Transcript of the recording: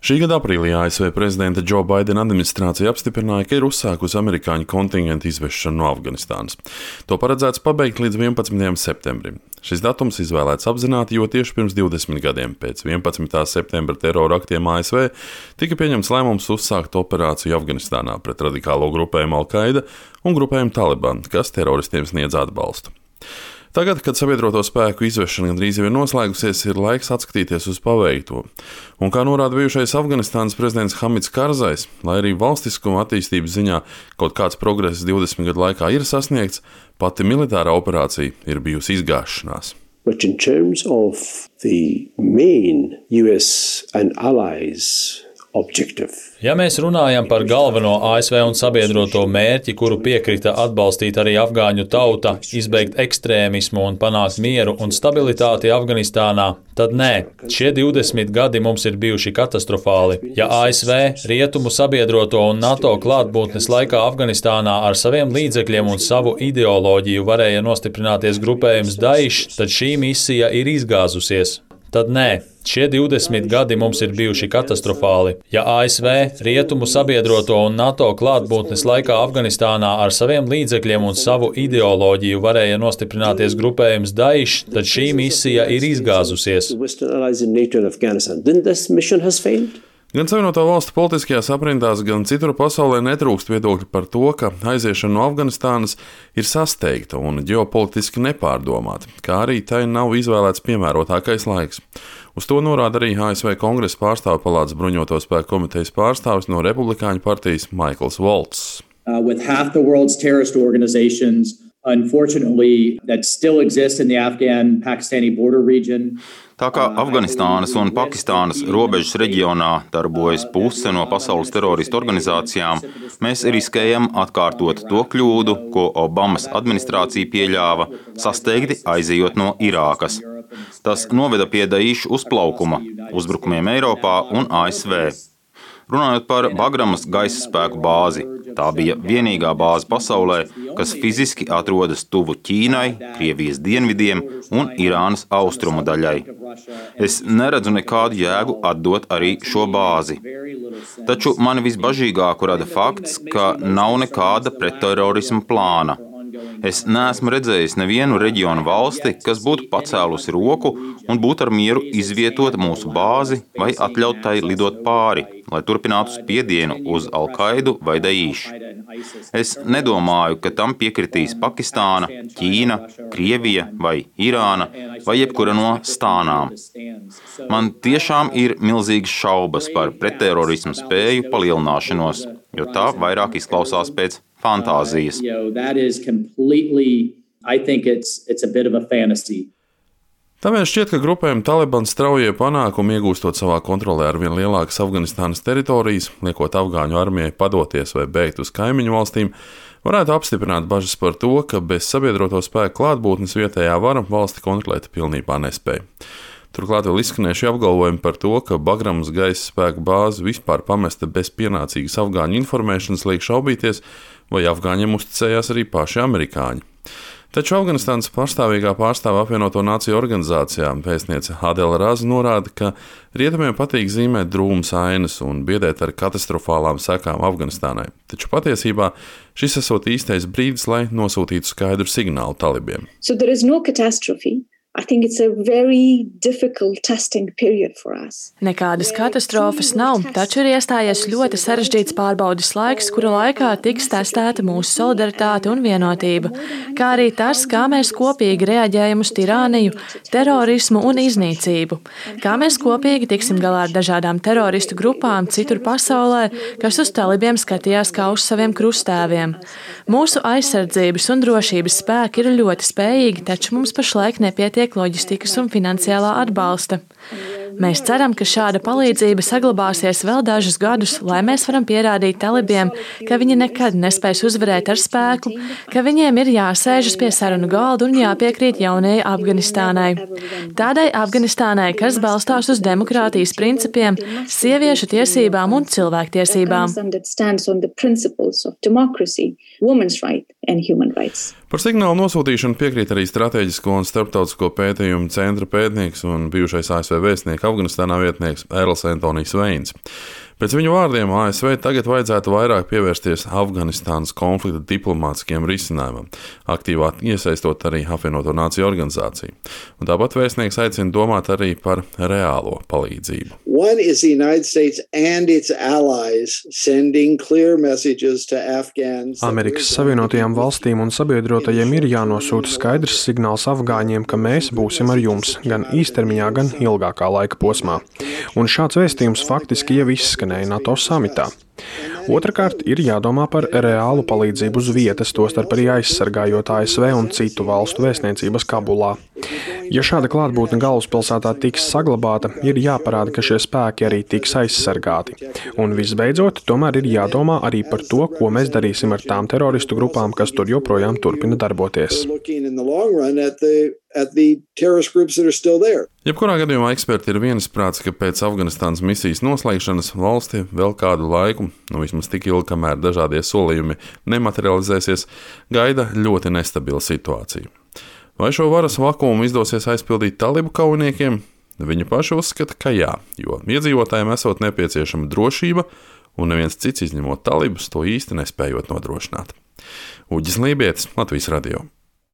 Šī gada aprīlī ASV prezidenta Džo Baidena administrācija apstiprināja, ka ir uzsākusi amerikāņu kontingentu izvešanu no Afganistānas. To paredzēts pabeigt līdz 11. septembrim. Šis datums izvēlēts apzināti, jo tieši pirms 20 gadiem pēc 11. septembra terora aktiem ASV tika pieņemts lēmums uzsākt operāciju Afganistānā pret radikālo grupējumu Al-Qaida un grupējumu Taliban, kas teroristiem sniedz atbalstu. Tagad, kad sabiedroto spēku izvešana gandrīz jau ir noslēgusies, ir laiks atskatīties uz paveikto. Un kā norāda bijušais Afganistānas prezidents Hamids Karzais, lai arī valstiskuma attīstības ziņā kaut kāds progress 20 gadu laikā ir sasniegts, pati militārā operācija ir bijusi izgāšanās. But in terms of the main US and allies objective. Ja mēs runājam par galveno ASV un sabiedroto mērķi, kuru piekrita atbalstīt arī afgāņu tauta, izbeigt ekstrēmismu un panākt mieru un stabilitāti Afganistānā, tad nē, šie 20 gadi mums ir bijuši katastrofāli. Ja ASV, rietumu sabiedroto un NATO klātbūtnes laikā Afganistānā ar saviem līdzekļiem un savu ideoloģiju varēja nostiprināties grupējums Daesh, tad šī misija ir izgāzusies. Tad nē, šie 20 gadi mums ir bijuši katastrofāli. Ja ASV, rietumu sabiedroto un NATO klātbūtnes laikā Afganistānā ar saviem līdzekļiem un savu ideoloģiju varēja nostiprināties grupējums Daesh, tad šī misija ir izgāzusies. Gan Savienoto Valstu politiskajās aprindās, gan citur pasaulē netrūkst viedokļi par to, ka aiziešana no Afganistānas ir sasteigta un ģeopolitiski nepārdomāta, kā arī tai nav izvēlēts piemērotākais laiks. Uz to norāda arī ASV Kongresa pārstāvju palātas bruņoto spēku komitejas pārstāvis no Republikāņu partijas Maikls Volts. With half the world's terrorist organizations, unfortunately, that still exist in the Afghan-Pakistani border region. Tā kā Afganistānas un Pakistānas robežas reģionā darbojas puse no pasaules teroristu organizācijām, mēs riskējam atkārtot to kļūdu, ko Obamas administrācija pieļāva, sasteigti aizejot no Irākas. Tas noveda pie Daesh uzplaukuma, uzbrukumiem Eiropā un ASV. Runājot par Bagramas gaisa spēku bāzi, tā bija vienīgā bāze pasaulē, kas fiziski atrodas tuvu Ķīnai, Krievijas dienvidiem un Irānas austrumu daļai. Es neredzu nekādu jēgu atdot arī šo bāzi. Taču mani visbažīgāko rada fakts, ka nav nekāda pretterorisma plāna. Es neesmu redzējis nevienu reģionu valsti, kas būtu pacēlusi roku un būtu ar mieru izvietot mūsu bāzi vai atļaut tai lidot pāri, lai turpinātu spiedienu uz Al-Qaidu vai Daesh. Es nedomāju, ka tam piekritīs Pakistāna, Ķīna, Krievija vai Irāna vai jebkura no stānām. Man tiešām ir milzīgas šaubas par pretterorismu spēju palielināšanos, jo tā vairāk izklausās pēc fantāzijas. Tāpēc šķiet, ka grupējuma Taliban straujie panākumi iegūstot savā kontrolē ar vien lielākas Afganistānas teritorijas, liekot afgāņu armijai padoties vai bēgt uz kaimiņu valstīm, varētu apstiprināt bažas par to, ka bez sabiedroto spēku klātbūtnes vietējā vara valsti kontrolēt pilnībā nespēja. Turklāt vēl izskanējuši apgalvojumi par to, ka Bagramas gaisa spēku bāze vispār pamesta bez pienācīgas afgāņu informēšanas liek šaubīties, vai afgāņiem uzticējās arī paši amerikāņi. Taču Afganistānas pastāvīgā pārstāve apvienoto nāciju organizācijā vēstniece Adela Raza norāda, ka rietumiem patīk zīmēt drūmas ainas un biedēt ar katastrofālām sekām Afganistānai. Taču patiesībā šis esot īstais brīdis, lai nosūtītu skaidru signālu talibiem. So there is no catastrophe. I think it's a very difficult testing period for us. Nekādas katastrofas nav, taču ir iestājies ļoti sarežģīts pārbaudes laiks, kura laikā tiks testēta mūsu solidaritāte un vienotība, kā arī tas, kā mēs kopīgi reaģējam uz tirāniju, terorismu un iznīcību, kā mēs kopīgi tiksim galā ar dažādām teroristu grupām citur pasaulē, kas uz talibiem skatījās kā uz saviem krustēviem. Mūsu aizsardzības un drošības spēki ir ļoti spējīgi, taču mums pašlaik nepietiek loģistikas un finansiālā atbalsta. Mēs ceram, ka šāda palīdzība saglabāsies vēl dažus gadus, lai mēs varam pierādīt talibiem, ka viņi nekad nespēs uzvarēt ar spēku, ka viņiem ir jāsēžas pie sarunu galda un jāpiekrīt jaunajai Afganistānai. Tādai Afganistānai, kas balstās uz demokrātijas principiem, sieviešu tiesībām un cilvēktiesībām. and human rights. Par signālu nosūtīšanu piekrīt arī Stratēģisko un starptautisko pētījumu centra pētnieks un bijušais ASV vēstnieka Afganistānā vietnieks Erls Antonijs Veins. Pēc viņu vārdiem ASV tagad vajadzētu vairāk pievērsties Afganistānas konflikta diplomātiskiem risinājumam, aktīvāk iesaistot arī Apvienoto Nāciju organizāciju. Un tāpat vēstnieks aicina domāt arī par reālo palīdzību. One is the United States and its allies sending clear messages to Afghans. Amerikas Savienotajām valstīm un sabiedrotajiem ir jānosūta skaidrs signāls afgāņiem, ka mēs būsim ar jums gan īstermiņā, gan ilgākā laika posmā. Un šāds vēstījums faktiski jau izskanēja NATO samitā. Otrakārt, ir jādomā par reālu palīdzību uz vietas, tostarp arī aizsargājot ASV un citu valstu vēstniecības Kabulā. Ja šāda klātbūtne galvaspilsētā tiks saglabāta, ir jāparāda, ka šie spēki arī tiks aizsargāti. Un visbeidzot, tomēr ir jādomā arī par to, ko mēs darīsim ar tām teroristu grupām, kas tur joprojām turpina darboties. Jebkurā gadījumā eksperti ir viensprāts, ka pēc Afganistānas misijas noslēgšanas valsti vēl kādu laiku, vismaz tik ilgi, kamēr dažādie solījumi nematerializēsies, gaida ļoti nestabila situācija. Vai šo varas vakuumu izdosies aizpildīt talibu kaujiniekiem? Viņi paši uzskata, ka jā, jo iedzīvotājiem esot nepieciešama drošība, un neviens cits izņemot talibus to īsti nespējot nodrošināt. Uģis Lībietis, Latvijas radio.